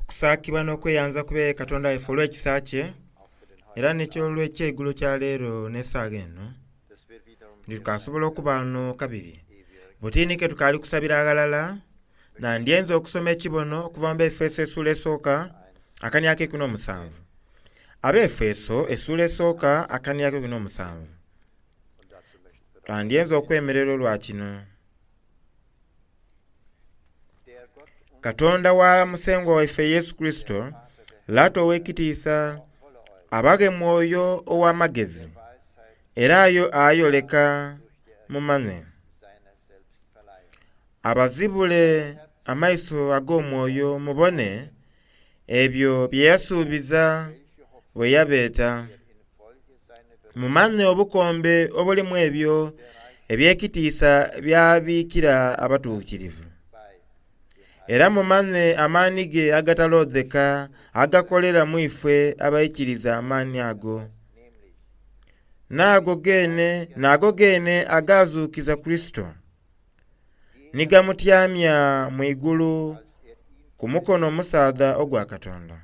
Okusaakibwa n'okweyanza kube Katonda waife olw'ekisa kye era n'eky'olw'ekyeigulo kya leero n'esaawa eno nti tukasobola okuba ghano kabiri. Butiini ke tukaali kusabira aghalala, nandyenze okusoma ekibono okuva mu Baefeso essuula esooka akania ak'eikumi n'omusanvu. Abaefeso essuula esooka akania ak'eikumi n'omusanvu. Twandyenze okwemerera olwa kino. Katonda wa Musengwa waife Yesu Kurisito, Lata ow'ekitiisa, abaghe Mwoyo ow'amagezi era ayoleka mumanhe. Abazibule amaiso ag'omwoyo mubone ebyo bye yasuubiza bwe yabeeta. Mumanhe obukombe obulimu ebyo eby'ekitiisa by'abiikira abatuukirivu. Era mumanhe amaani ge agataloodheka agakolera mu ife abaikiriza amaani ago. N'ago geene n'ago geene agaazuukiza Kurisito, ni gamutyamya mu igulu ku mukono omusaadha ogwa Katonda.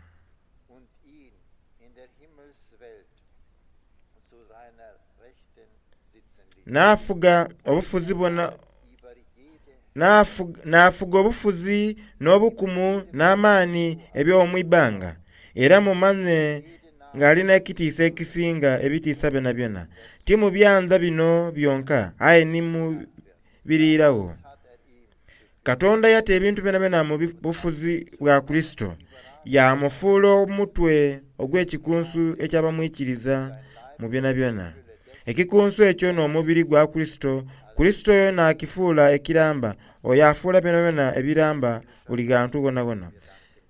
N'afuga obufuzi bwona n'afuga obufuzi n'obukumu n'amaani eby'omu ibbanga, era mumanhe ng'alina ekitiisa ekisinga ebitiisa byonabyona, ti mu byanda bino byonka aye ni mu biriiragho. Katonda yata ebintu byonabyona mu bufuzi bwa Kurisito, yaamufuula omutwe ogw'ekikunsu eky'abamwikiriza mu byonabyona. Ekikunsu ekyo n'omubiri gwa Kurisito, Kurisito oyo n'akifuula ekiramba, oyo afuula byonabyona ebiramba buli ghantu ghonhaghonha.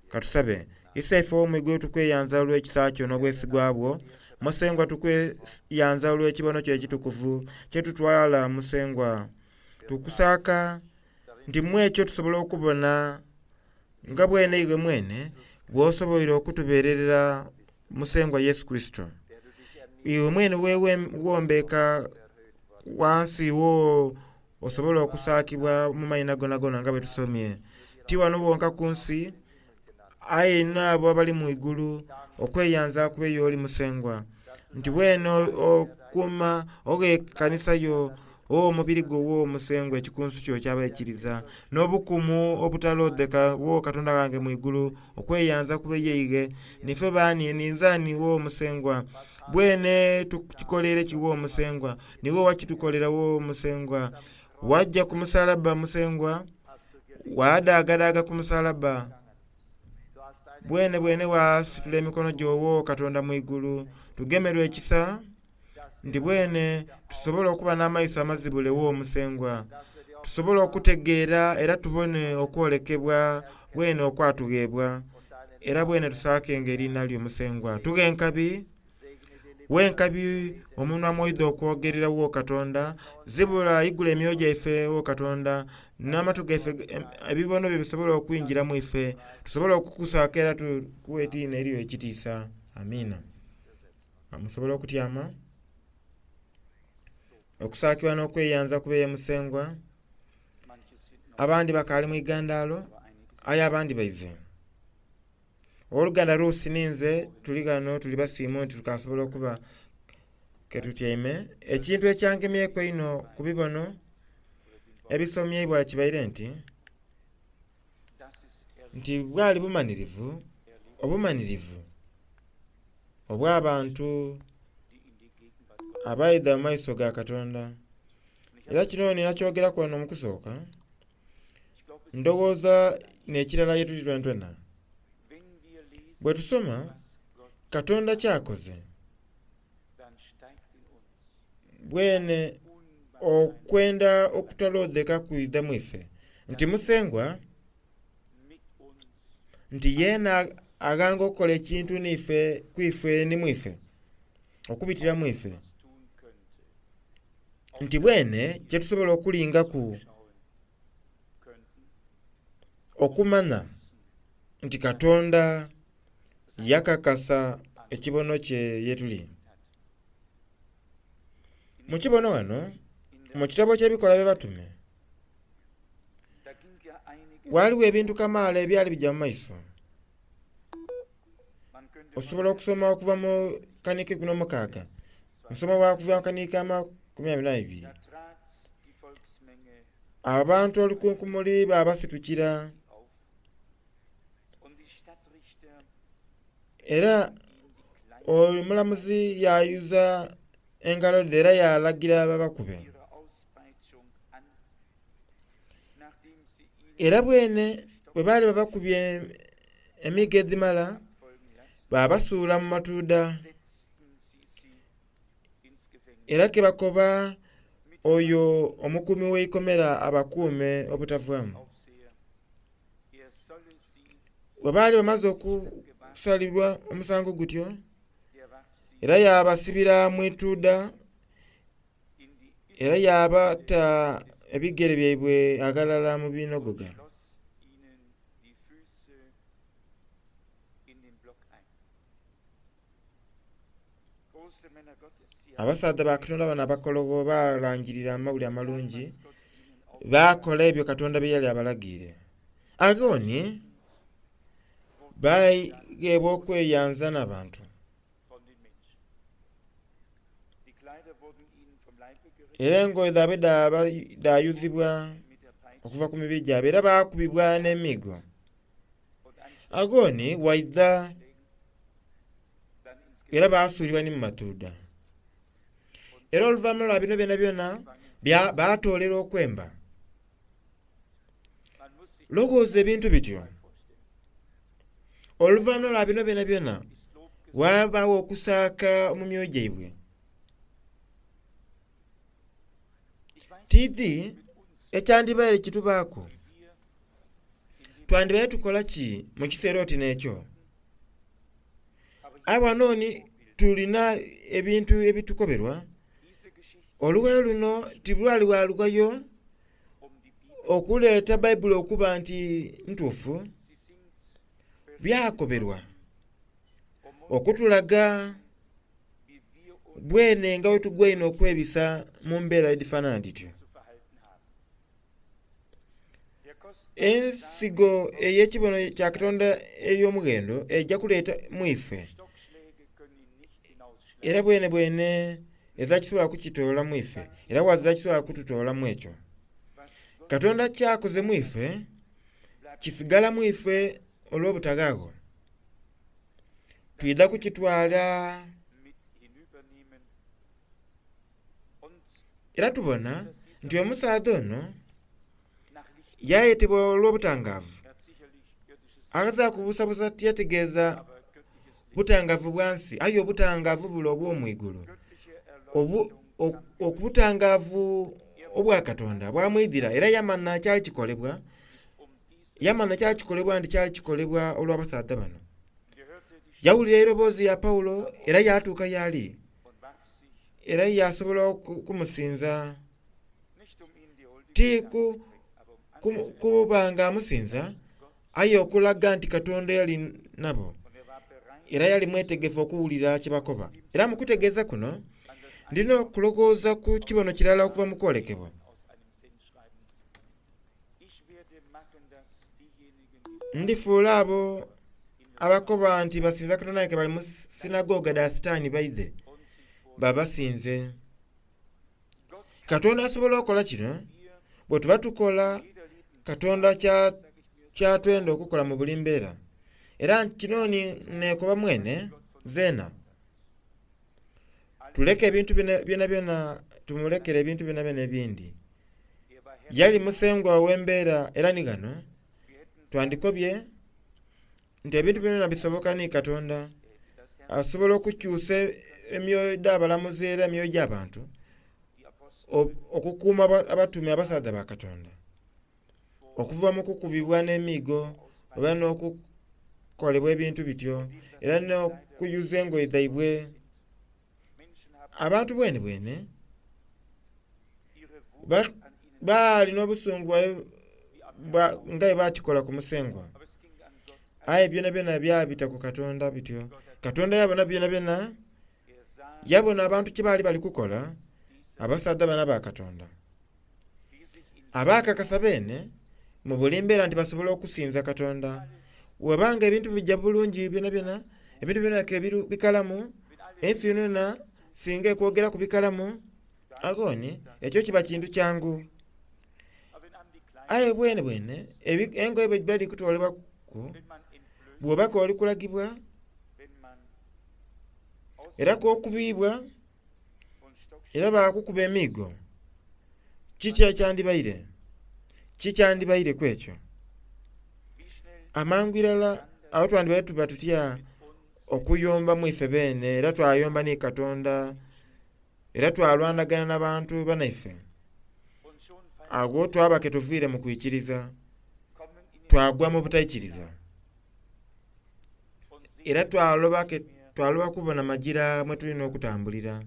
Ka tusabe. Iseife ow'omu igulu tukweyanza olw'ekisa kyo n'obwesigwa bwo. Musengwa tukweyanza olw'ekibono kyo ekitukuvu kye tutwala Musengwa. Tukusaaka nti mu ekyo tusobola okubona nga bwene iwe mwene bw'osoboire okutubeererera Musengwa Yesu Kurisito. Iwe mwene weewombeeka ghansi wo osobole okusaakibwa mu maina gonagona nga bwe tusomye, ti ghano wonka ku nsi aye n'abo abali mu igulu okweyanza kube y'oli Musengwa, nti bwene okuuma oghe ekanisa yo oghe omubiri gwo wo Musengwa ekikunsu kyo eky'abaikiriza, n'obukumu obutaloodheka wo Katonda ghange mu igulu, okweyanza kube yeighe. Niife baani, ninze ani wo Musengwa? Bwene tukikoleire ki wo Musengwa? Niiwe owakitukolera wo Musengwa. Waja ku musalabba Musengwa, waadaagadaaga ku musalabba. Bwenebwene waasitula emikono gyo wo Katonda mu igulu. Tugemerwe ekisa nti bwene tusobole okuba n'amaiso amazibule wo Musengwa, tusobole okutegeera era tubone okwolekebwa bwene okwatugheebwa, era bwene tusaakenga eriina lyo Musengwa. Tughe enkabi, we enkabi omunwa mw'oidha okwogerera wo Katonda, zibula igula emyoyo gyaife wo Katonda, n'amatu gaife ebibono byo bisobole okwingira mu ife, tusobole okukusaaka era tukuwe eriina eryo ekitiisa. Amiina. Musobola okutyama. Okusaakibwa n'okweyanza kube ye Musengwa. Abandi bakaali mu igandaalo, aye abandi baize. Owoluganda Ruth ninze tuli ghano tuli basiimu nti tukasobola okuba ke tutyaime. Ekintu ekyangemyeku einho ku bibono ebisomyeibwa kibaire nti, nti bwali bumanhirivu, obumanhirivu obw'abantu abaidha mu maiso ga Katonda. Era kino nina kyogeraku ghano mu kusooka, ndowooza n'ekirala ye tuli twenatwena. Bwe tusoma Katonda ky'akoze, bwene okwenda okutaloodheka kwidha mu ife, nti Musengwa nti yeena aghanga okukola ekintu n'ife ku ife ni mu ife, okubitira mu ife, nti bwene kye tusobola okulingaku okumanha nti Katonda yakakasa ekibono kye ye tuli. Mu kibono ghano, mu kitabo ky'Ebikolwa by'Abatume, ghaligho ebintu kamaala ebyali bigya mu maiso. Osobola okusoma okuva mu kanhika 16, nsoma bwa kuva mu kanhika 22. Abantu olukunkumuli babasitukira era omulamuzi yayuza engalo dhe era yalagira babakube. Era bwene bwe baali babakubye emiigo edhimala, babasuula mu matuudha. Era kebakoba oyo omukuumi w'eikomera abakuume obutavaamu. Bwe baali bamaze okusalirwa omusango gutyo, era yabasibira mu ituudha era yabata ebigere byaibwe aghalala mu binogoga. Abasaadha ba Katonda bano abakologho balangirira amawulire amalungi, baakola ebyo Katonda bye yali abalagire. Agho ni bagheebwa okweyanza n'abantu. Era engoye dhaibwe dhayuzibwa okuva ku mibiri gyabwe era baakubibwa n'emiigo. Agho ni waidha era baasuulibwa ni mu matuudha. Era oluvanhuma lwa bino byonabyona baatoolera okwemba. Lowooza ebintu bityo. Oluvanhuma lwa bino byonabyona ghabagho okusaaka mu myoyo gyaibwe. Tiidhi ekyandibaire kitubaaku. Twandibaire tukola ki mu kiseera oti n'ekyo? Aye ghano ni tulina ebintu ebitukoberwa. Olughayo luno tilwali lwa lughayo okuleeta Baibuli okuba nti ntuufu. Byakoberwa okutulaga bwene nga bwetugwaine okwebisa mu mbeera edhifanana dhityo. Ensigo ey'ekibono kya Katonda ey'omughendo eja kuleeta mu ife, era bwenebwene ezira kisobola kukitoola mu ife, era ghazira kisobola kututoolamu ekyo. Katonda ky'akoze mu ife kisigala mu ife olw'obutaghaagho. Twidha kukitwala era tubona nti omusaadha ono yayetebwa olw'obutangaavu. Aghazira kubuusabuusa tiyategeeza butangaavu bwa nsi aye obutangaavu bule obw'omwigulu. Obutangaavu obwa Katonda bwamwidhira era yamanha ekyali kikolebwa, yamanha ekyali kikolebwa nti kyali kikolebwa olw'abasaadha bano. Yawulira eiroboozi lya Paulo era yatuuka y'ali era yasobola okumusinza. Ti kuba nga amusinza, aye okulaga nti Katonda yali nabo. Era yali mwetegefu okuwulira kye bakoba. Era mu kutegeeza kuno, ndina okulowooza ku kibono kirala okuva mu kwolekebwa. Ndifuula abo abakoba nti basinza Katonda aye ke bali mu sinagoga dha Sitaani baidhe babasinze. Katonda asobola okola kino bwe tuba tukola Katonda kyatwenda okukola mu buli mbeera. Era kino ni nekoba mwene zeena. Tuleke ebintu byonabyona tumulekere ebintu byonabyona ebindi. Yali musengwa ow'embeera era ni ghano twandikobye nti ebintu byonabyona bisoboka ni Katonda. Asobola okukyusa emyoyo dh'abalamuzi era emyoyo gy'abantu okukuuma abatume abasaadha ba Katonda okuva mu kukubibwa n'emiigo oba n'okukolebwa ebintu bityo era n'okuyuza engoye dhaibwe. Abantu bwenebwene baali n'obusungu nga bwe bakikola ku Musengwa. Aye byonabyona byabita ku Katonda bityo. Katonda yabona byonabyona, yabona abantu kye baali bali kukola, abasaadha bano aba Katonda. Abaakakasa beene mu buli mbeera nti basobola okusinza Katonda. Bweba nga ebintu bija bulungi byonabyona, Ebintu byona ke bikalamu, ensi yonayona singa ekwogeraku bikalamu, aghoni ekyo kiba kintu kyangu. Aye bwenebwene engoye bwedhiba dhiri kutolebwaku, bw'oba k'oli kulagibwa era k'okubiibwa era baakukuba emiigo, kiki ekyandibaire? Kikyandibaire ku ekyo? Amangu irala agho twandibaire tuba tutya okuyomba mu ife beene era twayomba ni Katonda era twalwanagana n'abantu banaife. Agho twaba ke tuviire mu kwikiriza, twagwa mu butaikiriza. Era twaloba kubona magira mwe tulina okutambulira.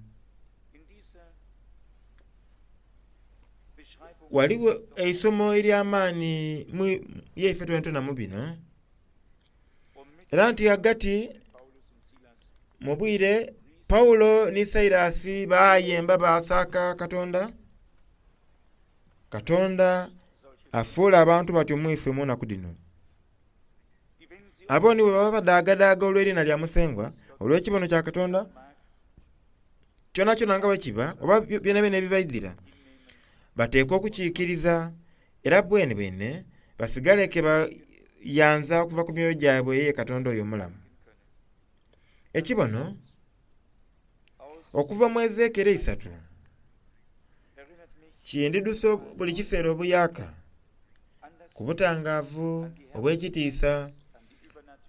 Ghaligho eisomo ery'amaani yaife twenatwena mu bino, era nti ghagati mu bwire Paulo ni Sailasi baayemba baasaaka Katonda. Katonda afuula abantu batyo mu ife mu naku dhino. Abo ni bwe baba badaagadaaga olw'eriina lya Musengwa, olw'ekibono kya Katonda, kyonakyona nga bwe kiba oba byonabyona ebibaidhira, bateekwa okukiikiriza era bwenebwene basigale ke bayanza okuva ku myoyo gyabwe ye Katonda oyo omulamu. Ekibono okuva mu Ezekieri eisatu kindidhusa buli kiseera obuyaaka ku butangaavu obw'ekitiisa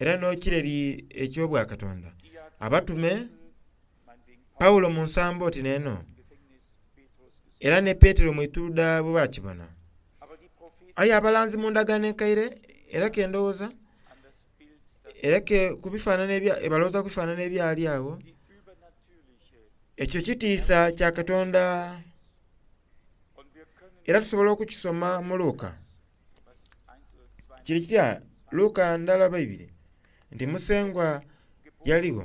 era n'ekireri eky'obwakatonda. Abatume Paulo mu nsambo oti n'eno era ne Petero mu ituudha bwe bakibona. Aye abalanzi mu ndagaano enkaire era ke ndowooza era ke kubifaanana balowooza ku bifaanana ebyali agho, ekyo kitiisa kya Katonda era tusobola okukisoma mu Luka. Kiri kitya Luka ndala oba ibiri nti Musengwa yaligho.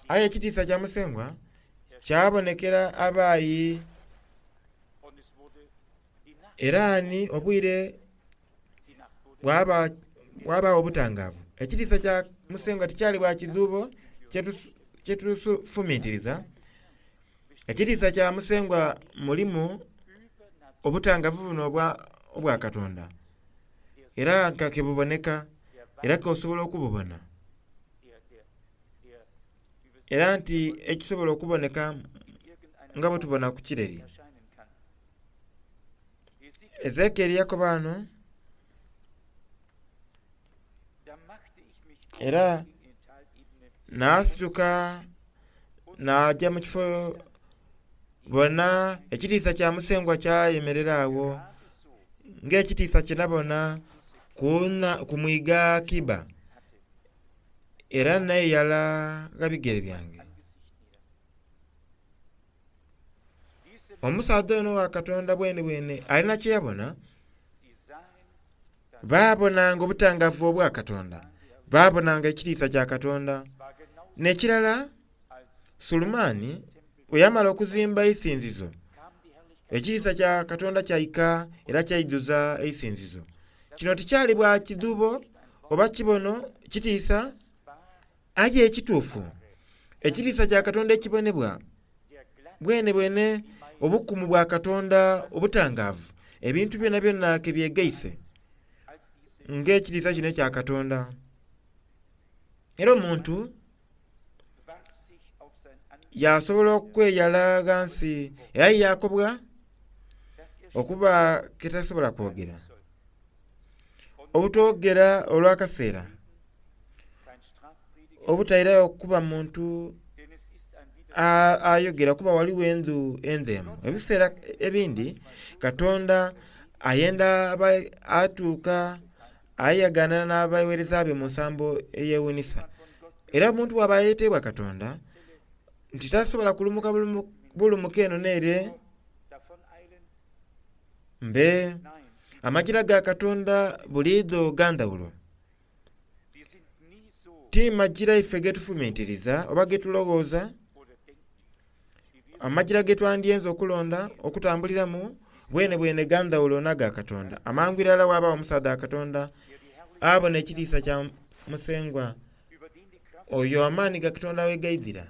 Aye ekitiisa kya Musengwa kyabonekera abaayi era ni obwire bwabagho obutangaavu. Ekitiisa kya Musengwa tikyali bwa kidhuubo kyetusufumintiriza. Ekitiisa kya Musengwa mulimu obutangaavu buno obwa Katonda era nga kebuboneka era k'osobola okububona. Era nti ekisobola okuboneka nga bwe tubona ku kireri. Ezekieri yakoba ghano era naasituka naaja mu kifo bona ekitiisa kya Musengwa kyayemerera agho ng'ekitiisa kye nabona ku mwiga Kiba era neeyala gha bigere byange. Omusaadha ono wa Katonda bwenebwene alina kye yabona. Baabonanga obutangaavu obwa Katonda, baabonanga ekitiisa kya Katonda. N'ekirala, Sulemaani bwe yamala okuzimba eisinzizo, ekitiisa kya Katonda kyaika era kyaidhuza eisinzizo. Kino tikyali bwa kidhuubo oba kibono kitiisa, aye ekituufu ekitiisa kya Katonda ekibonebwa bwenebwene obukumu bwa Katonda obutangaavu, ebintu byonabyona ke byegaise ng'ekitiisa kino ekya Katonda. Era omuntu yasobola okweyala ghansi era yaakobwa okuba ke tasobola kwogera. Obutoogera olw'akaseera, obutairayo kuba muntu ayogera kuba ghaligho endhu endhemu. Ebiseera ebindi Katonda ayenda atuuka ayagaanana n'abaweereza be mu nsambo eyewuunhisa. Era omuntu bw'aba ayeteibwa Katonda nti tasobola kulumuka bulumuke eno n'ere mbe amagira ga Katonda buliidho ga ndhawulo. Ti magira ife getufumintiriza oba getulowooza, amagira getwandyenze okulonda okutambuliramu bwenebwene ga ndhawulo n'aga Katonda. Amangu irala ghabagho omusaadha wa Katonda abona ekitiisa kya Musengwa. Oyo amaani ga Katonda we gaidhira.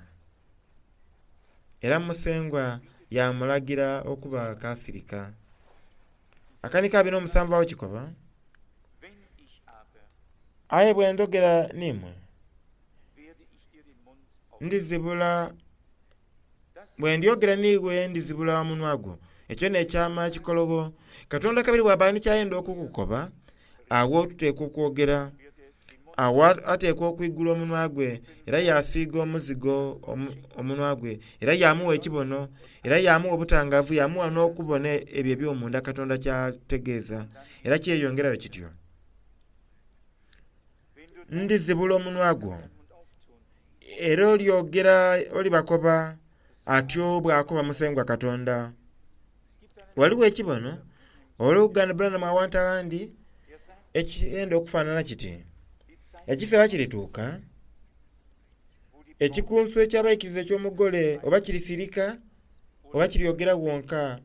Era Musengwa yaamulagira okuba kasirika. Akanika 27 awo kikoba, aye bwe ndhogera n'imwe ndizibula bwe ndyogera n'iwe ndizibula omunwa gwo. Ekyo n'ekyama ekikologho. Katonda kabiri bw'aba ni kyayenda okukukoba, agho tuteekwa okwogera. Agho ateekwa okwigula omunwa gwe era yasiiga omuzigo omunwa gwe era yamuwa ekibono era yamuwa obutangaavu yamuwa n'okubona ebyo eby'omunda Katonda ky'ategeeza era kyeyongerayo kityo. Ndizibula omunwa gwo era olyogera olibakoba atyo bw'akoba Musengwa Katonda. Ghaligho ekibono olw'oluganda Branham awantu aghandi ekyenda okufaanana kiti. Ekiseera kirituuka ekikunsu eky'abaikiriza eky'omugole oba kirisirika oba kiryogera wonka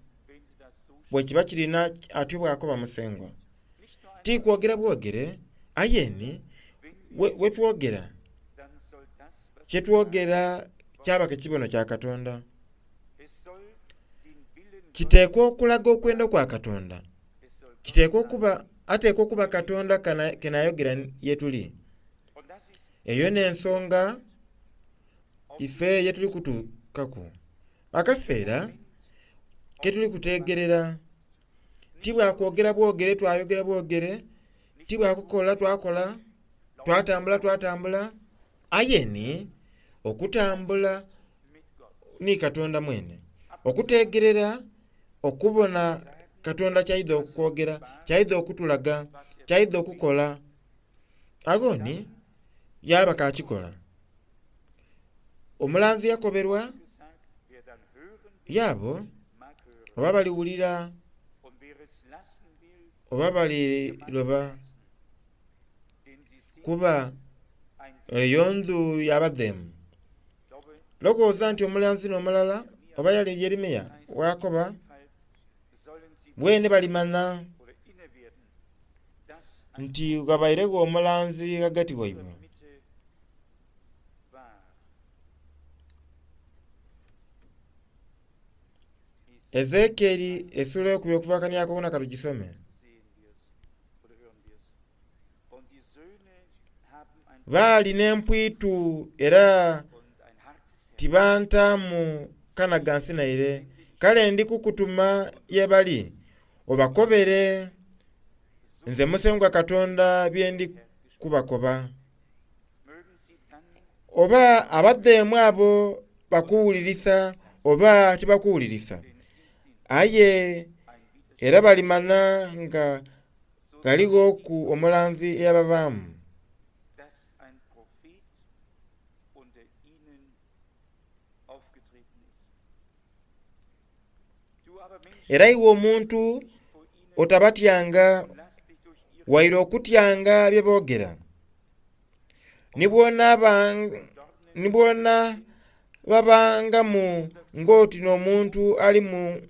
bwe kiba kirina atyo bw'akoba Musengwa. Ti kwogera bwogere aye ni we twogera kyetwogera kyaba kibono kya Katonda. Kiteekwa okulaga okwenda kwa Katonda. Kiteekwa okuba ateekwa okuba Katonda kenayogera ye tuli. Eyo n'ensonga ife ye tuli kutuukaku. Akaseera ke tuli kutegerera ti bwakwogera bwogere twayogera bwogere, ti bwakukola twakola, twatambula twatambula, aye ni okutambula ni Katonda mwene. Okutegerera okubona Katonda ky'aidha okwogera, ky'aidha okutulaga, ky'aidha okukola. Agho ni yaba kakikola. Omulanzi yakoberwa yaabo oba baliwulira oba baliroba kuba eyo ndhu y'abadheemu. Lowooza nti omulanzi n'omulala oba yali Yeremiya wakoba bwene balimanya nti ghabairegho omulanzi ghagati waibwe. Ezekieli essula ey'okubiri okuva kaniako katugisome. Baali n'empwitu era tibantaamu kanagansi naire. Kale ndi kukutuma ye bali obakobere nze Musengwa Katonda bye ndi kubakoba. Oba abadheemu abo bakuwulirisa oba tibakuwulirisa, aye era balimanya nga ghalighoku omulanzi eyababaamu. Era iwe omuntu otabatyanga waire okutyanga bye boogera. Ni bw'ona babangamu ng'oti n'omuntu ali mu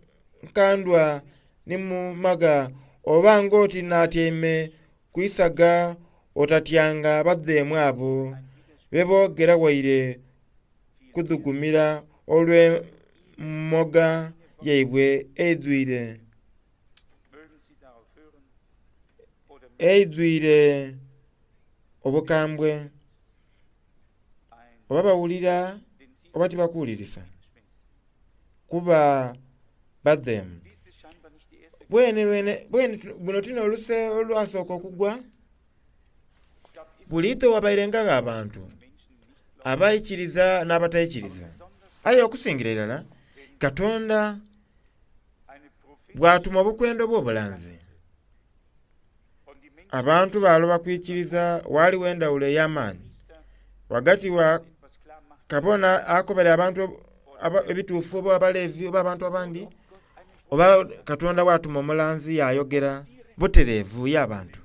nkandwa ni mu maga oba ng'oti n'atyaime ku isaga otatyanga badheemu abo be boogera waire kudhugumira olw'emmoga yaibwe eidhwire obukambwe. Oba bawulira oba tibakuwulirisa kuba badheemu. Bwene buno ti n'oluse olwasooka okugwa. Buliidho ghabairengagho abantu abaikiriza n'abataikiriza. Aye okusingira irala Katonda bw'atuma obukwenda obw'obulanzi abantu baloba kwikiriza. Ghaligho endhawulo ey'amaani ghagati wa kabona akobera abantu ebituufu oba abalevi oba abantu abandi oba Katonda bw'atuma omulanzi yayogera butereevu y'abantu.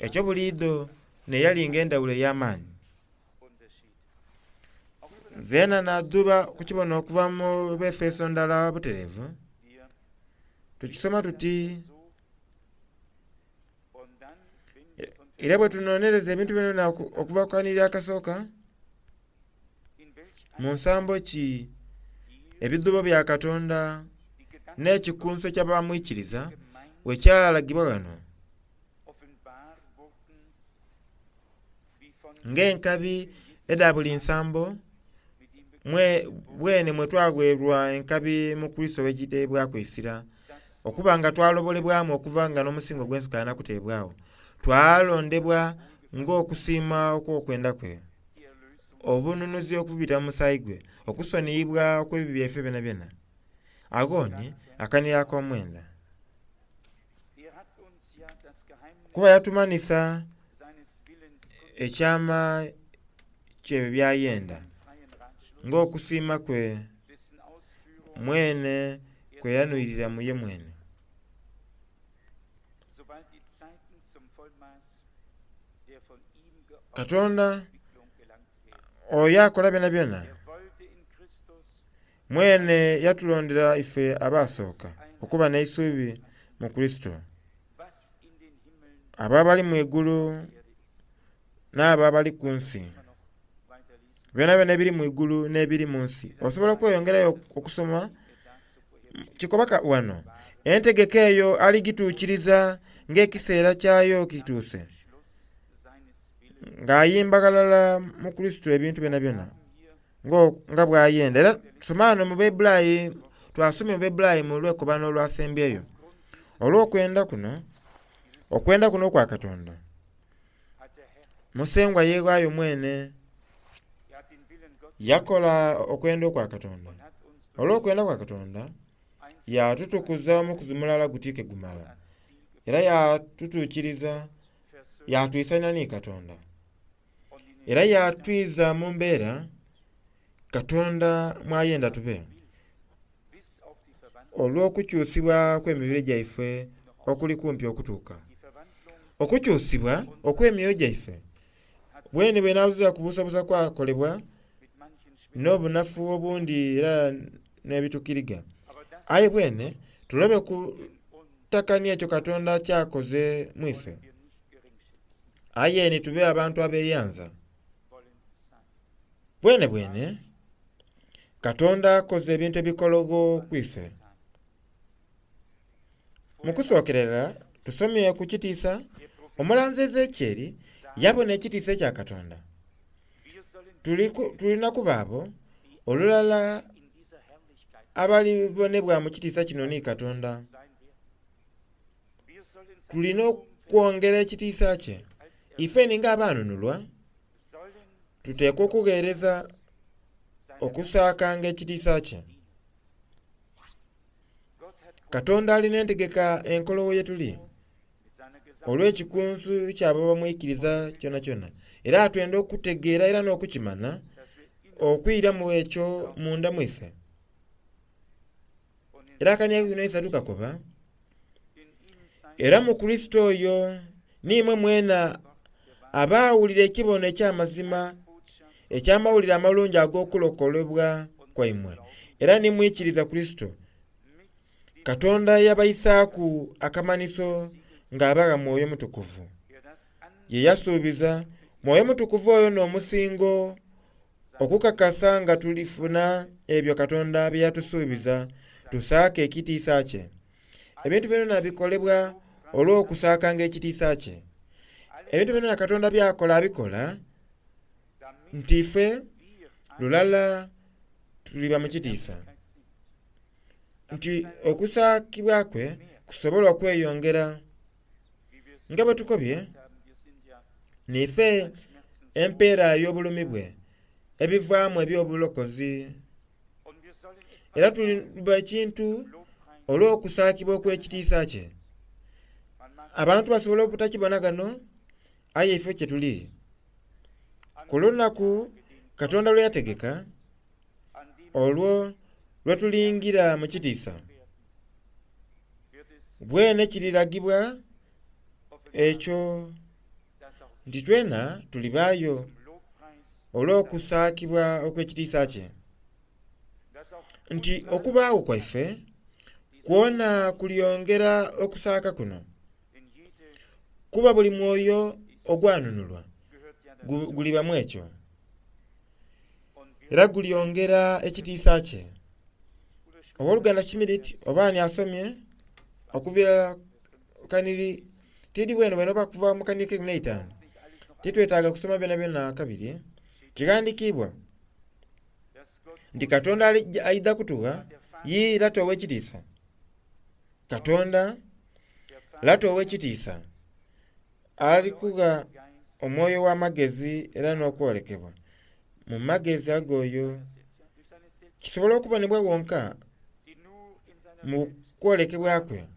Ekyo buliidho n'eyalinga endhawulo ey'amaani. Zeena nadhuba kukibona okuva mu Befeso ndala butereevu. Tukisoma tuti Era bwe tunonereza ebintu byona okuva ku kanhiriri akasooka, mu nsambo ki ebidhuubo bya Katonda n'ekikunsu eky'abamwikiriza bwe kyalagibwa ghano ng'enkabi edha buli nsambo bwene mwe twagheerwa enkabi mu Kurisito bwe eisira, okuba nga twalobolebwamu okuva nga n'omusingi ogw'ensi gukaali na kuteebwagho, twalondebwa ng'okusiima okw'okwenda kwe, obununuzi okubita mu musaayi gwe, okusoniyibwa okw'ebibi byaife byonabyona. Agho ni akanhiriri ak'omwenda. Kuba yatumanhisa ekyama ky'ebyo by'ayenda, ng'okusiima kwe mwene kwe yanhwirira mu ye mwene. Katonda oyo akola byonabyona, mwene yatulondera ife abaasooka okuba n'eisuubi mu Kurisito, abo abali mu igulu n'abo abali ku nsi, byonabyona ebiri mu igulu n'ebiri mu nsi. Osobola okweyongerayo okusoma kikoba ghano, entegeka eyo aligituukiriza ng'ekiseera kyayo kituuse, ng'ayimba ghalala mu Kurisito ebintu byonabyona nga bw'ayenda. Era tusoma ghano mu Baibulayi, twasomye mu Baibulayi mu lwekobano olwasembyeyo, olw'okwenda kuno, okwenda kuno okwa Katonda, Musengwa yeeghaayo mwene yakola okwenda okwa Katonda. Olw'okwenda kwa Katonda yatutukuza omukuzi mulala guti ke gumala, era yatutuukiriza yatwisania ni Katonda, era yatwiza mu mbeera Katonda mw'ayenda tube, olw'okukyusibwa kw'emibiri gyaife okuli kumpi okutuuka. Okukyusibwa okw'emyoyo gyaife bwene bwenazira kubuusabuusa kwakolebwa n'obunafu obundi era n'ebitukiriga. Aye bwene tulobe kutakania ekyo Katonda ky'akoze mu ife, aye ni tube abantu abeeyanza. Bwenebwene Katonda akoze ebintu ebikologho ku ife. Mu kusookerera tusomye ku kitiisa omulanzi Ezekieli yabona ekitiisa ekya Katonda. Tulina kuba abo olulala abalibonebwa mu kitiisa kino ni Katonda. Tulina okwongera ekitiisa kye. Ifeni ng'abaanunulwa tuteekwa okugheereza okusaakanga ekitiisa kye. Katonda alina entegeka enkologho ye tuli olw'ekikunsu ky'abo abamwikiriza kyonakyona, era atwenda okutegeera era n'okukimanha okwiramu ekyo munda mu ife. Era akania kino isatu kakoba, era mu Kurisito oyo n'imwe mwena abaawulira ekibono eky'amazima eky'amawulire amalungi ag'okulokolebwa kwaimwe, era ni mwikiriza Kurisito, Katonda yabaisaaku akamanhiso ng'abagha Mwoyo Mutukuvu ye yasuubiza. Mwoyo Mutukuvu oyo n'omusingo okukakasa nga tulifuna ebyo Katonda bye yatusuubiza, tusaake ekitiisa kye. Ebintu byonabyona bikolebwa olw'okusaakanga ekitiisa kye. Ebintu byonabyona Katonda by'akola abikola nti ife lulala tuliba mu kitiisa, nti okusaakibwa kwe kusobole okweyongera. Nga bwe tukobye, niife empeera ey'obulumi bwe, ebivaamu eby'obulokozi. Era tuliba ekintu olw'okusaakibwa okw'ekitiisa kye. Abantu basobola obutakibona ghano, aye ife kye tuli. Ku lunaku Katonda lwe yategeka, olwo lwe tulingira mu kitiisa, bwene kiriragibwa ekyo nti twena tulibaayo olw'okusaakibwa okw'ekitiisa kye, nti okubaagho kwaife kwona kulyongera okusaaka kuno. Kuba buli mwoyo ogwanunulwa guliba mu ekyo, era gulyongera ekitiisa kye. Ow'oluganda Schmidt oba ani asomye okuviira kaniri tidi bwene bwene oba kuva mu kaniri keikumi n'eitaanu, titwetaaga kusoma byonabyona kabiri. Kighandikiibwa nti Katonda aidha kutugha ye Lata ow'ekitiisa. Katonda Lata ow'ekitiisa alikugha omwoyo ow'amagezi era n'okwolekebwa mu magezi ag'oyo. Kisobola okubonebwa wonka mu kwolekebwa kwe.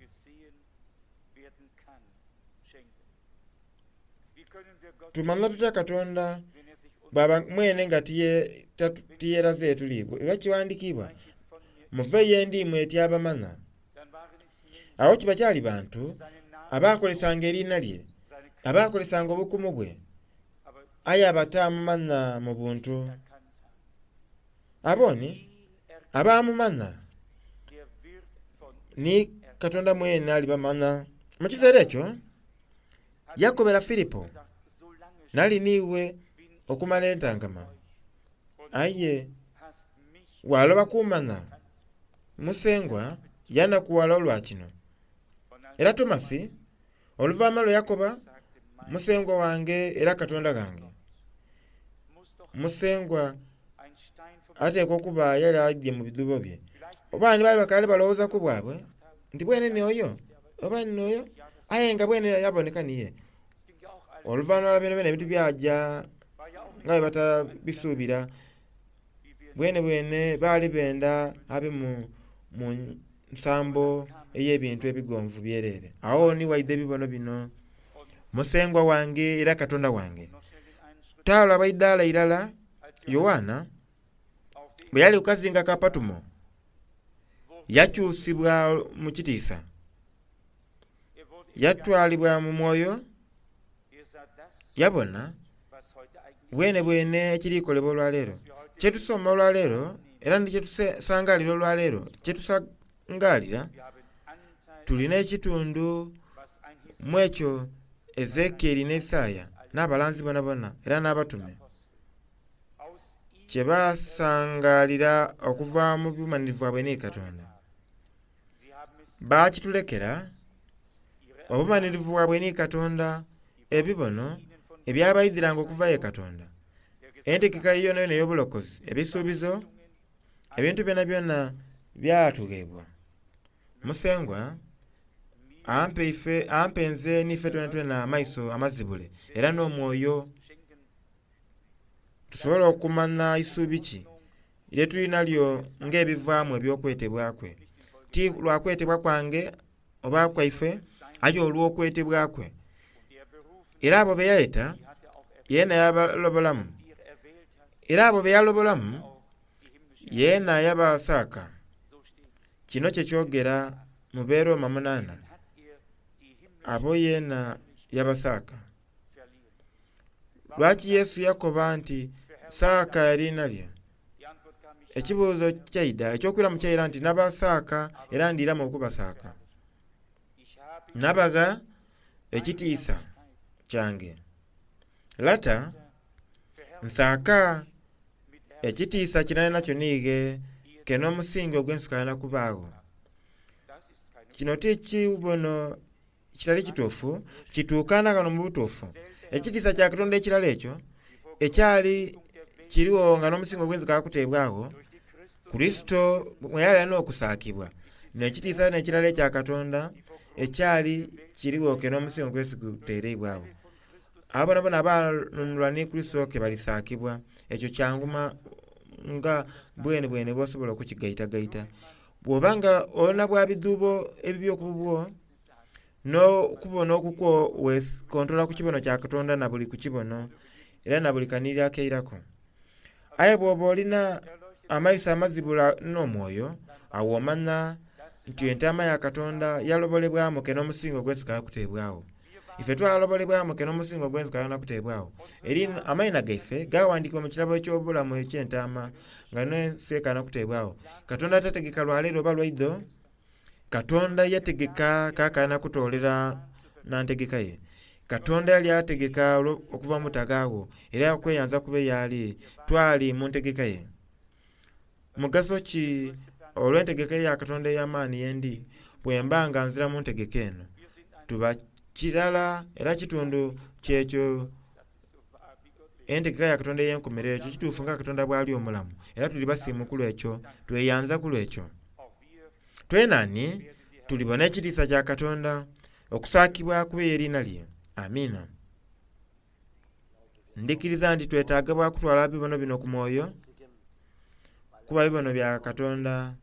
Tumanha tutya Katonda bwaba mwene nga tiyeraze yetuli? Era kighandikiibwa, muve ye ndi imwe tyabamanha. Agho kiba kyali bantu abaakolesanga eriina lye, abaakolesanga obukumu bwe, aye abataamumanha mu buntu. Abo ni abaamumanha ni Katonda mwene alibamanha. Mu kiseera ekyo yakobera Filipo, Nali n'iwe okumala entangama, aye waaloba kuumanha? Musengwa yanakughala olwa kino. Era Tomasi oluvaima lwe yakoba, Musengwa wange era Katonda ghange. Musengwa ateekwa okuba yali aidhye mu bidhuubo bye. Oba ni baali bakaali balowooza ku bwabwe nti bwene ni oyo oba ni oyo, aye nga bwene yaboneka ni ye. Oluvanhuma lwa byonabyona ebintu byaja nga bwe batabisuubira. Bwenebwene baali benda abe mu nsambo ey'ebintu ebigonvu byereere. Agho ni waidha ebibono bino, Musengwa wange era Katonda wange. Taalaba idaala irala Yoanna bwe yali ku kazinga ka Patumo, yakyusibwa mu kitiisa, yatwalibwa mu mwoyo, yabona bwenebwene ekiri kolebwa olwaleero. Kye tusoma olwaleero era ni kye tusangaalira olwaleero, kye tusangaalira, tulina ekitundu mu ekyo Ezekieli ni Isaaya n'abalanzi boonaboona era n'abatume kye baasangaalira okuva mu bumanhirivu bwaibwe ni Katonda. Baakitulekera obumanhirivu bwaibwe ni Katonda, ebibono ebyabaidhiranga okuva ye Katonda, entegeka yoonayoona ey'obulokozi, ebisuubizo, ebintu byonabyona byatugheebwa. Musengwa ampe ife, ampe nze n'ife twenatwena amaiso amazibule era n'omwoyo tusobole okumanha isuubi ki lye tuli nalyo ng'ebivaamu eby'okwetebwa kwe, ti lwa kwetebwa kwange oba kwaife, aye olw'okwetebwa kwe. Era abo be yayeta, yeena yabalobolamu, era abo be yalobolamu, yeena yabasaaka. Kino kye kyogera mu Beroma munaana, abo yeena yabasaaka. Lwaki Yesu yakoba nti, Saaka eriina lyo? Ekibuuzo kyaidha, eky'okwiramu kyaira nti, Nabasaaka era ndiiramu okubasaaka. Nabagha ekitiisa kyange. Lata, nsaaka ekitiisa kye nali nakyo niighe ke n'omusingi ogw'ensi gukaali kubaagho. Kino ti kibono Ekitali kituufu kituukana ghano mu butuufu. Ekitiisa kya Katonda ekirala ekyo ekyali kirigho nga n'omusingo ogw'ensi gukaali kuteebwagho, Kurisito mwe yali alina okusaakibwa. N'ekitiisa n'ekirala ekya Katonda ekyali kirigho ke n'omusingo ogw'ensi guteereibwagho. Abo boonaboona abaanunulwa ni Kurisito ke balisaakibwa. Ekyo kyanguma nga bwenebwene bw'osobola okukigaitagaita. Bw'oba nga olina bwa bidhuubo ebibyo ku bubwo, n'okubona okukwo wekontola ku kibono kya Katonda na buli ku kibono era na buli kanhiriri akairaku. Aye bw'oba olina amaiso amazibula n'omwoyo, agho omanha nti entaama ya Katonda yalobolebwamu ke n'omusingo ogw'ensi gukaali kuteebwagho. Ife twalobolebwamu ke n'omusingo ogw'ensi gukaali kuteebwagho. Eri amaina gaife gaghandiikibwa mu kirabo eky'obulamu eky'entaama nga n'ensi ekaali kuteebwagho. Katonda tategeka lwa leero oba lwa idho, Katonda yategeka kaakana kutoolera na ntegeka ye. Katonda yali ategeka okuva mu butagaagho era okweyanza kube y'ali twali mu ntegeka ye. Mugaso ki olw'entegeka ya Katonda ey'amaani yendi bwe mba nga nzira mu ntegeka eno? Tuba kirala era kitundu kyekyo entegeka ya Katonda ey'enkomerero. Ekyo kituufu nga Katonda bw'ali omulamu, era tuli basiimu ku lw'ekyo, tweyanza ku lw'ekyo. Twenani tulibona ekitiisa kya Katonda, okusaakibwa kube eriina lye. Amiina. Ndikiriza nti twetaaga bwa kutwala bibono bino ku mwoyo, kuba bibono bya Katonda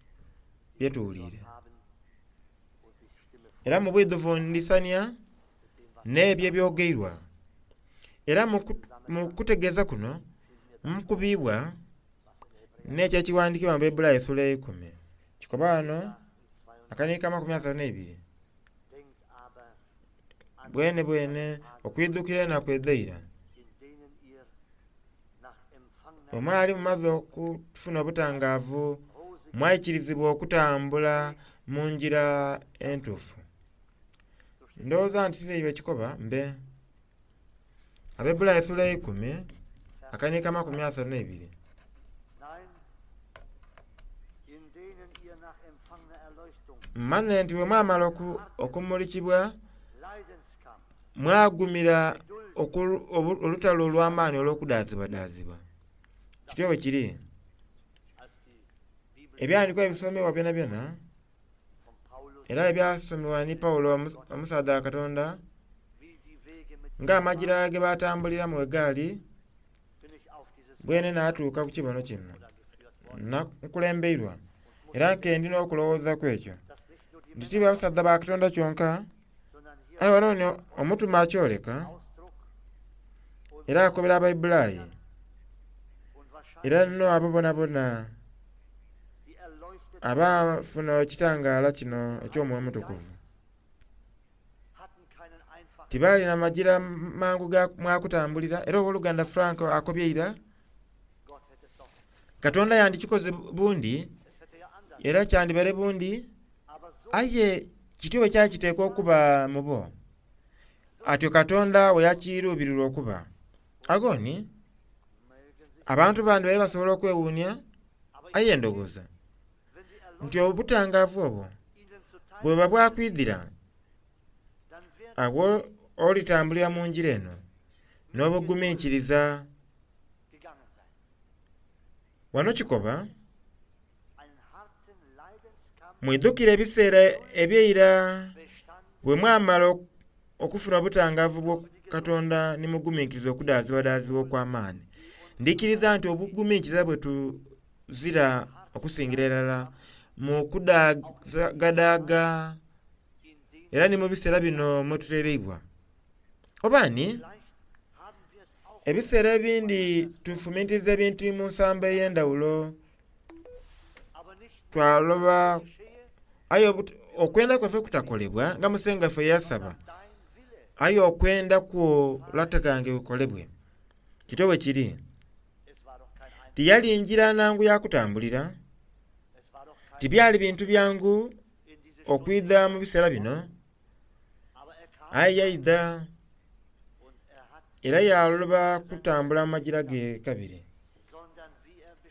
bye tuwuliire. Era mu bwidhuvu ndisania n'ebyo ebyogeirwa. Era mu kutegeeza kuno mukubiibwa n'ekyo ekiwandiikibwa mu Baibuli essuula eyeikumi. Kikoba ghano akaniika 32. Bwene bwene okwidhukira enaku edh'eira, bwe mwali mumaze okufuna obutangaavu, mwaikirizibwa okutambula mu ngira entuufu. Ndowooza nti tiri ekikoba mbe. Abaebbulaniya essuula eyeikumi akaniika 32. Mmanhe nti bwe mwamala okumulikibwa mwagumira olutalo olw'amaani olw'okudaazibwadaazibwa. Kityo bwe kiri. Ebyawandiikibwa ebisomebwa byonabyona era ebyasomebwa ni Pawulo omusaadha wa Katonda ng'amagira ge batambuliramu bwe gaali, bwene natuuka ku kibono kino. Nkulembeirwa era nke ndi n'okulowooza ku ekyo nti ti basaadha ba Katonda kyonka, aye wano ni omutume akyoleka era akobera Abaibulayi era no abo bonabona abafuna ekitangaala kino eky'Omwoyo Omutukuvu. Tibaalina magira mangu ga mwakutambulira era ow'oluganda Frank akobye ira, Katonda yandikikoze bundi era kyandibaire bundi, aye kityo bwe kyakiteekwa okuba mu bo. Atyo Katonda bwe yakiruubirirwa okuba. Agho ni abantu bandi baire basobola okwewuunia, aye ndowooza nti obutangaavu obwo bweba bwakwidhira, agho olitambulira mu ngira eno n'obuguminkiriza. Wano kikoba, mwidhukire ebiseera eby'eira bwe mwamala okufuna obutangaavu bwa Katonda ni muguminkiriza okudaazibwadaazibwa okw'amaani. Ndikiriza nti obuguminkiriza bwe tuzira okusingira irala mu kudagadaaga era ni mu biseera bino mwe tutereibwa. Oba ni ebiseera ebindi tufumintiriza ebintu mu nsambo ey'endhawulo twaloba aye okwenda kwaife kutakolebwa nga Musengwa waife yasaba, aye okwenda kwo Lata ghange kukolebwe. Kityo bwe kiri. Tiyali ngira nangu ya kutambulira, tibyali bintu byangu okwidha mu biseera bino, aye yaidha era yaloba kutambula mu magira ge kabiri,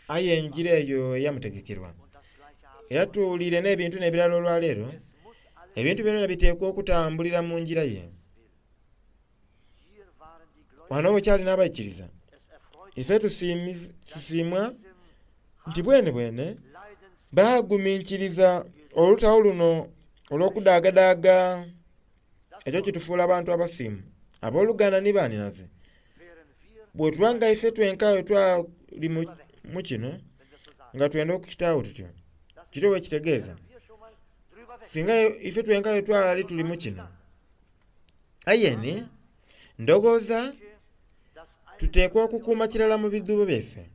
aye engira eyo eyamutegekerwa. Era tuwulire n'ebintu n'ebirala olwaleero, ebintu byona biteekwa okutambulira mu ngira ye. Wano bwe kyali n'abaikiriza, ife tusiimwa nti bwene bwene baaguminkiriza olutalo luno olw'okudaagadaaga ekyo kitufuula abantu abasiimu. Abooluganda ni banhinaze, bwe tuba nga ife twenka bwe twali mu kino nga twenda okukitaagho tutyo, kityo bwe kitegeeza singa ife twenka bwe twali tuli mu kino. Aye ni ndowooza tuteekwa okukuuma kirala mu bidhuubo byaife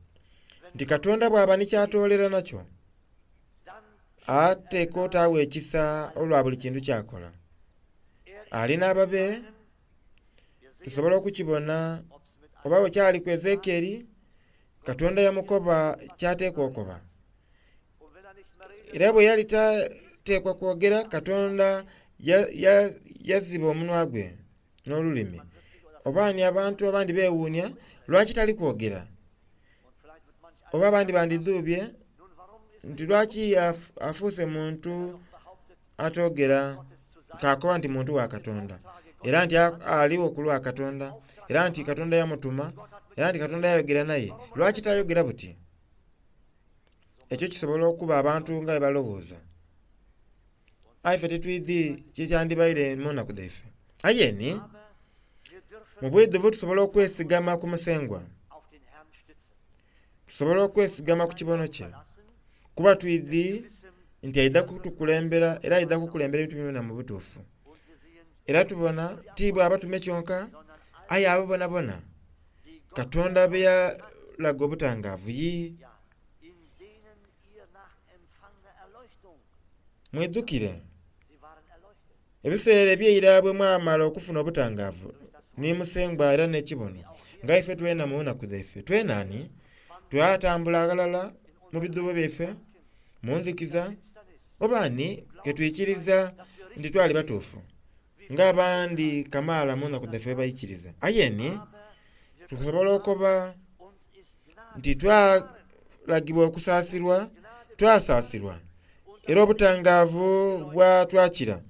nti Katonda bw'aba ni kyatoolera nakyo, ateekwa otaagho ekisa olwa buli kintu ky'akola. Ali n'ababe tusobola okukibona oba bwe kyali ku Ezekieli, Katonda yamukoba ky'ateekwa okoba. Era bwe yali tateekwa kwogera, Katonda yaziba omunwa gwe. n'olulimi. Oba ni abantu abandi beewuunia lwaki tali kwogera? Oba abandi bandidhuubye nti lwaki afuuse muntu atoogera k'akoba nti muntu wa Katonda, era nti aligho ku lwa Katonda, era nti Katonda yamutuma, era nti Katonda yayogera naye. Lwaki tayogera buti? Ekyo kisobola okuba abantu nga bwe balowooza. Aye ife titwidhi kikyandibaire mu naku dhaife. Aye ni, mu bwidhuvu tusobola okwesigama ku Musengwa. Tusobola okwesigama ku kibono kye, kuba twidhi nti aidha kutukulembera era aidha kukulembera ebintu byonabyona mu butuufu. Era tubona ti bwa batume kyonka, aye abo bonabona Katonda be yalaga obutangaavu. Yii. Mwidhukire ebiseera eby'eira bwe mwamala okufuna obutangaavu ni Musengwa era n'ekibono, nga ife twena mu nnaku dhaife. Twena ani? Twatambula ghalala mu bidhuubo byaife, mu nzikiza, oba ani ke twikiriza nti twali batuufu, ng'abandi kamaala mu nnaku dhaife bwe baikiriza. Aye ni tusobola okoba nti twalagibwa okusaasirwa, twasaasirwa, era obutangaavu bwatwakira,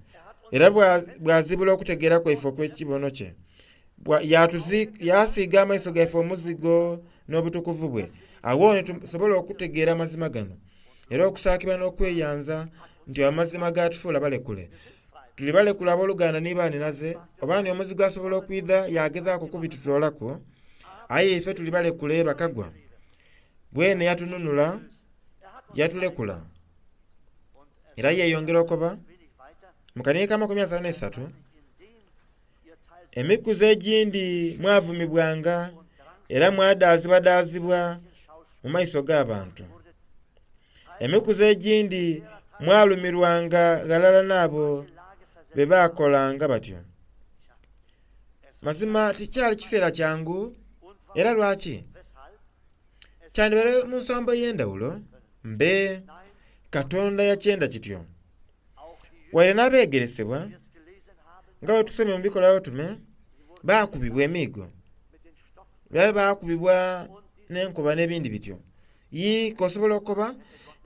era bwazibula okutegeera kwaife okw'ekibono kye. Yaasiiga amaiso gaife omuzigo n'obutukuvu bwe. Agho ni tusobola okutegeera amazima gano, era okusaakibwa n'okweyanza nti amazima gaatufuula balekule. Tuli balekule aboluganda ni baanhinaze, oba ni omuzigu asobola okwidha yaagezaaku okubitutoolaku, aye ife tuli balekule bakagwa. Bwene yatununula, yatulekula. Era yeeyongera okoba mu kanhiriri k'amakumi asatu n'eisatu, Emikuzi egindi mwavumibwanga era mwadaazibwadaazibwa mu maiso g'abantu. Emikuzi egindi mwalumirwanga ghalala n'abo be baakolanga batyo. Mazima tikyali kiseera kyangu. Era lwaki? Kyandibaire mu nsambo ey'endhawulo, mbe Katonda yakyenda kityo. Waire n'abeegeresebwa, nga bwe tusomye mu Bikolwa By'Abatume, baakubibwa emiigo, era baakubibwa n'enkoba n'ebindi bityo. Yii, k'osobola okukoba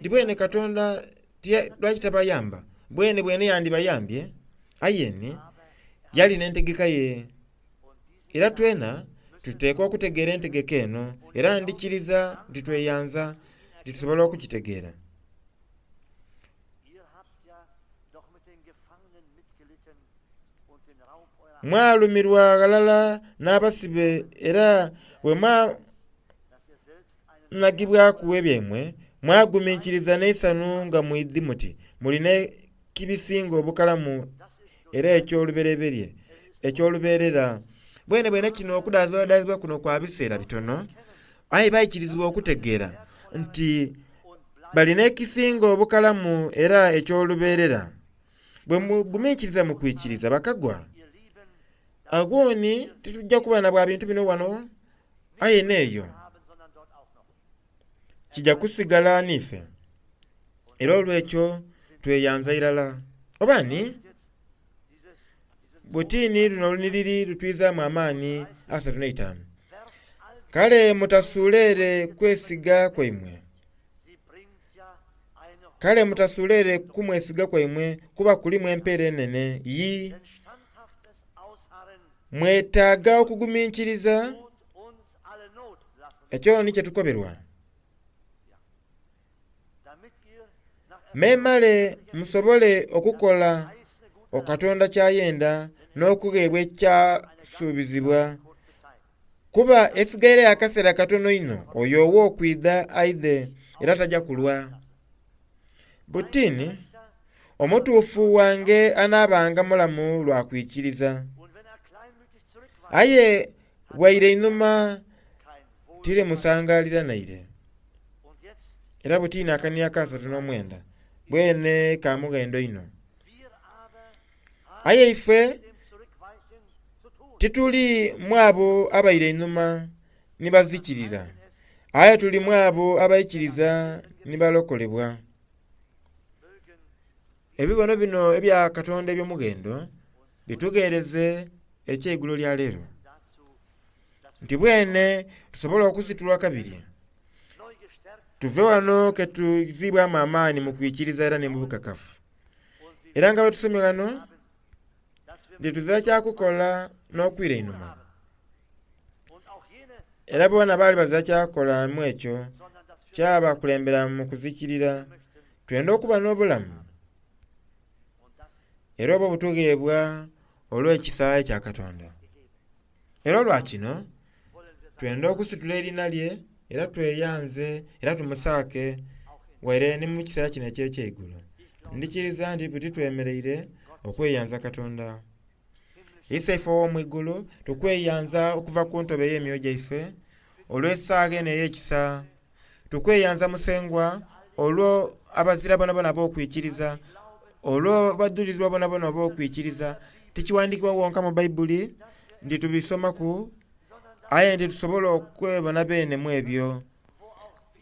nti bwene Katonda lwaki tabayamba? Bwene bwene yandibayambye, aye ni yali n'entegeka ye. Era twena tuteekwa okutegeera entegeka eno, era ndhikiriza nti tweyanza nti tusobola okukitegeera. Mwalumirwa ghalala n'abasibe era bwe mwanhagibwaku ebyaimwe, mwaguminkiriza n'eisanhu nga mwidhi muti muli n'ekibisinga obukalamu era eky'olubereberye eky'olubeerera. Bwenebwene kino okudaazibwadaazibwa kuno kwa biseera bitono, aye baikirizibwa okutegeera nti bali n'ekisinga obukalamu era eky'olubeerera. Bwe muguminkiriza mu kwikiriza bakagwa, agho ni titujja kuba na bwa bintu bino wano aye n'eyo kija kusigala n'ife. Era olw'ekyo tweyanza irala. Oba ni, buti ni luno olunhiriri lutwizaamu amaani 35. Kale mutasuula ere kwesiga kwaimwe. Kale mutasuula ere kumwesiga kwaimwe kuba kulimu empeera enene. Yii, mwetaaga okuguminkiriza. Ekyo ni kye tukoberwa. Memale musobole okukola Katonda ky'ayenda n'okugheebwa ekyasuubizibwa. Kuba esigaireyo akaseera katono inho oyo ow'okwidha aidhe era taja kulwa. Buti ni, omutuufu wange anaabanga mulamu lwa kwikiriza. Aye bw'aira einhuma tirimusangaalira naire. Era buti ni akania akasatu n'omwenda bwene ka mughendo inho. Aye ife tituli mu abo abaira einhuma ni bazikirira, aye tuli mu abo abaikiriza ni balokolebwa. Ebibono bino ebya Katonda eby'omughendo bitugheereze. ekyeigulo lya leero nti bwene tusobola okusitulwa kabiri tuve wano ke tuzibwamu amaani mu kwikiriza era ne mu bukakafu era nga bwe tusomye ghano nti tuzira kyakukola n'okwira einhuma era boona baali bazira kyakukola mu ekyo kyabakulembera mu kuzikirira twenda okuba n'obulamu era obwo butugheebwa olw'ekisa ekya Katonda. Era olwa kino twenda okusitula eriina lye era tweyanze era tumusaake waire ni mu kiseera kino eky'ekyeigulo. Ndikiriza nti buti twemereire okweyanza Katonda. Iseife ow'omu igulu tukweyanza okuva ku ntobo ey'emyoyo gyaife olw'esaagha eno ey'ekisa. Tukweyanza Musengwa olwo abazira bonabona ab'okwikiriza, olwo abadhulirwa bonabona ab'okwikiriza. Tikiwandikibwa wonka mu Baibuli nti tubisomaku aye nti tusobola okwebona beene mu ebyo.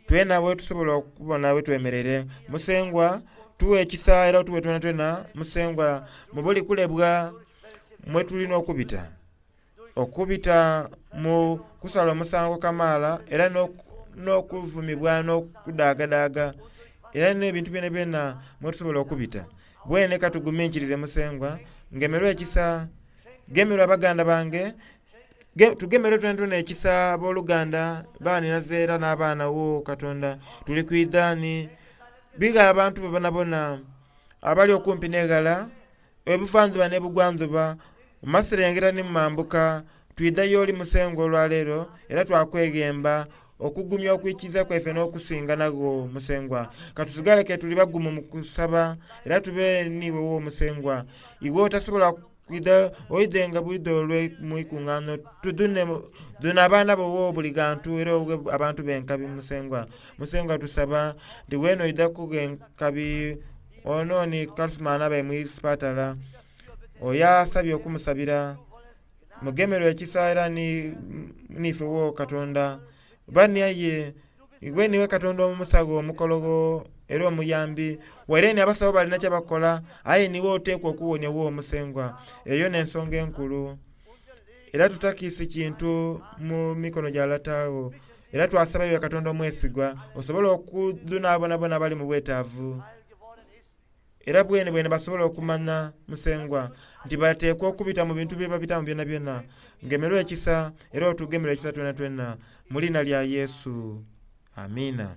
Twena bwe tusobola okubona bwe twemereire. Musengwa tuwe ekisa era otuwe twenatwena Musengwa mu buli kulebwa mwe tulina okubita. Okubita mu kusala omusango kamaala era n'okuvumibwa n'okudaagadaaga era n'ebintu byonabyona mwe tusobola okubita. Bwene ka tuguminkirize Musengwa, ngemerwa ekisa, gemerwa baganda bange, tugemerwe twenatwena ekisa abooluganda, banhinaze era n'abaana wo Katonda. Tuli kwidha ni bigha abantu bo bonabona abali okumpi n'eghala, ebuvandhuba n'ebugwandhuba, mu maserengeta ni mu mambuka, twidha y'oli Musengwa olwaleero era twakweghemba okugumya okwikiriza kwaife n'okusinga nagho Musengwa. Ka tusigale ke tuli bagumu mu kusaba era tube n'iwe wo Musengwa. Iwe otasobola kwidha oidhe nga bwidha olwe mu ikungaano tudhune dhuna abaana bo wo buli ghantu era oghe abantu b'enkabi Musengwa. Musengwa tusaba nti weena oidha kugha enkabi ono ni Kasuma n'abaire mu isipatala oyo asabye okumusabira. Mugemerwe ekisa era niife wo Katonda. Bani aye iwe niiwe Katonda omusagho omukologho era omuyambi. Waire ni abasawo balina kye bakola aye niiwe oteekwa okuwonia wo Musengwa. Eyo n'ensonga enkulu. Era tutakiisi kintu mu mikono gya lata wo. Era twasaba iwe Katonda omwesigwa osobole okudhuna abonabona abali mu bwetaavu. Era bwenebwene basobole okumanya, Musengwa, nti bateekwa okubita mu bintu bye babitamu byonabyona. Ngemerwa ekisa era otugemerwe ekisa twenatwena mu liina lya Yesu. Amiina.